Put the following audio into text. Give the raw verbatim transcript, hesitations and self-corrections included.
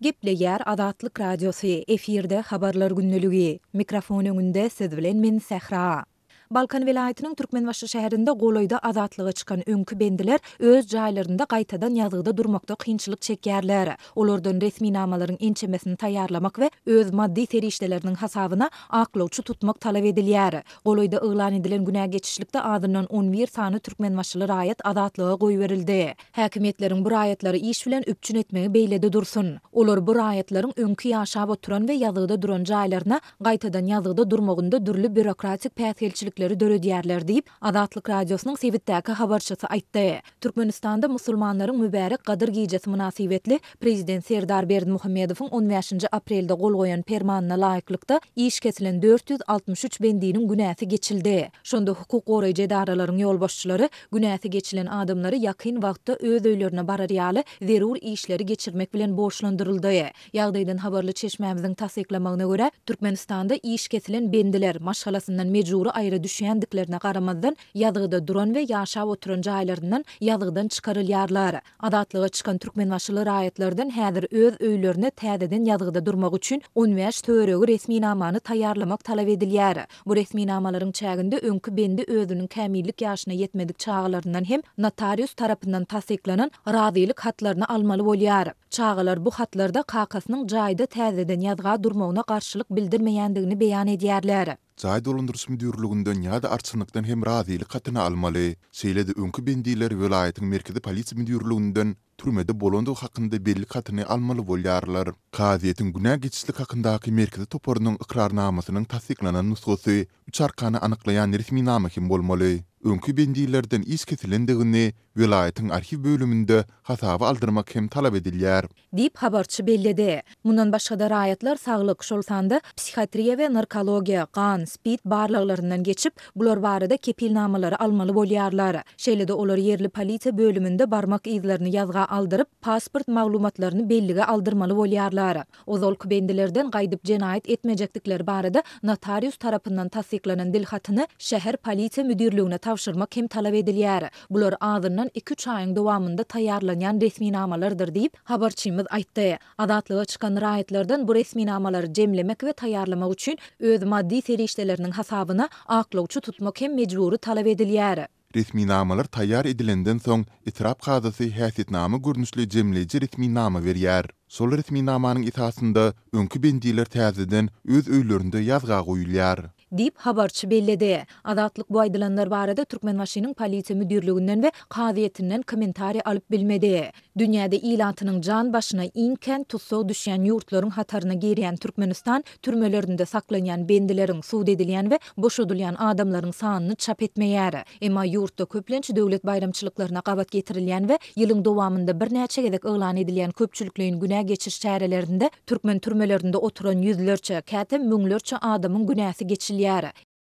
Gepleýär Azatlyk Radiosy, efirde Habarlar gündeligi. Mikrofon öňünde siz bilen men Sähra. Balkan welaýatynyň Türkmenbaşy şäherinde golaýda azatlyga çykan öňki bendiler öz jaýlarynda gaýtadan ýazgyda durmakda kynçylyk çekýärler. Olardan resminamalaryň ençemesini taýýarlamak we öz maddy serişdeleriniň hasabyna aklawçy tutmak talap edilýär. Golaýda yglan edilen günä geçişlikde azyndan on bir sany türkmenbaşyly raýat azatlyga goýberildi. Häkimiýetleriň bu raýatlary iş bilen üpjün etmegi beýlede dursun. Olar bu raýatlaryň öňki ýaşap oturan we ýazgyda duran jaýlaryna gaýtadan ýazgyda durmagynda dürli býurokratik päsgelçilikleri döredýärler diýip, Azatlyk Radiosynyň sebitdäki habarçysy aýtdy. Türkmenistanda musulmanlaryň mübärek Gadyr gijesi mynasybetli Prezident Serdar Berdimuhamedowyň on bäşinji aprelde gol goýan permanyna laýyklykda iş kesilen dört ýüz altmyş üç bendiniň günäsi geçildi. Şonda hukuk goraýjy edaralaryň ýolbaşçylary günäsi geçilen adamlary ýakyn wagtda öz öýlerine barar ýaly zerur işleri geçirmek bilen borçlandyryldy. Ýagdaýdan habarly çeşmämiziň tassyklamagyna görä, Türkmenistanda iş kesilen bendiler maşgalasyndan mejbury aýra düşýändiklerine garamazdan, ýazgyda duran we ýaşap oturan jaýlaryndan ýazgydan çykarylýarlar. Azatlyga çykan türkmenbaşyly raýatlardan häzir öz öýlerine täzeden ýazgyda durmak üçin on bäş töweregi resminamany taýýarlamak talap edilýär. Bu resminamalaryň çäginde öňki bendi özüniň kämillik ýaşyna ýetmedik çagalaryndan hem notarius tarapyndan tassyklanan razylyk hatlaryny almaly bolýar. Çagalar bu hatlarda kakasynyň jaýda täzeden ýazga durmagyna garşylyk bildirmeýändigini beýan edýärler. Jaý dolandyryş müdirliginden ýa-da arçynlykdan hem razylyk hatyny almaly. Şeýle-de öňki bendiler welaýatyň merkezi polisiýa müdirliginden türmede bolandygy hakynda bellik hatyny almaly bolýarlar. Kazyýetiň günä geçişlik hakyndaky merkezi toparynyň ykrarnamasynyň tassyklanan nusgasy üç arkany anyklaýan resminama hem bolmaly. Öňki bendilerden iş kesilendigini welaýatyň arhiw bölüminde hasaba aldyrmak hem talap edilýär. Diýip, habarçy belledi. Mundan başga-da raýatlar saglyk, şol sanda psihiatriýa we narkologiýa, gan, spid barlaglaryndan geçip, bular barada kepilnamalary almaly bolýarlar. Şeýle-de olar ýerli polisiýa bölüminde barmak yzlaryny ýazga aldyryp, pasport maglumatlaryny bellige aldyrmaly bolýarlar. Ozalky bendilerden gaýdyp jenaýat etmejekdikleri barada notarius tarapyndan tassyklanan dil hatyny şäher polisiýa müdirligine tabşyrmak hem talap edilýär. Bular azyndan iki-üç aýyň dowamynda taýýarlanýan resminamalardyr diýip, habarçymyz aýtdy. Azatlyga çykan raýatlardan bu resminamalary jemlemek we taýýarlamak üçin öz maddy serişdeleriniň hasabyna aklawçy tutmak hem mejbury talap edilýär. Resminamalar taýýar edilenden soň etrap kazysy häsiýetnama görnüşli jemleýji resminama berýär. Şol resminamanyň esasynda öňki bendiler täzeden öz öýlerinde ýazga goýulýar. Diýip, habarçy belledi. Azatlyk bu aýdylanlar barada Türkmenbaşynyň polisiýa müdirliginden we kazyýetinden kommentariý alyp bilmedi. Dünýäde ilatynyň jan başyna iň kän tussag düşýän ýurtlaryň hataryna girýän Türkmenistan türmelerinde saklanýan bendileriň, sud edilýän we boşadylýan adamlaryň sanyny çap etmeýär. Emma ýurtda köplenç döwlet baýramçylyklaryna gabat getirilýän we ýylyň dowamynda birnäçe gezek yglan edilýän köpçülikleýin günä geçiş çärelerinde türkmen türmelerinde oturan ýüzlerçe, käte müňlerçe adamyň günäsi geçilýär.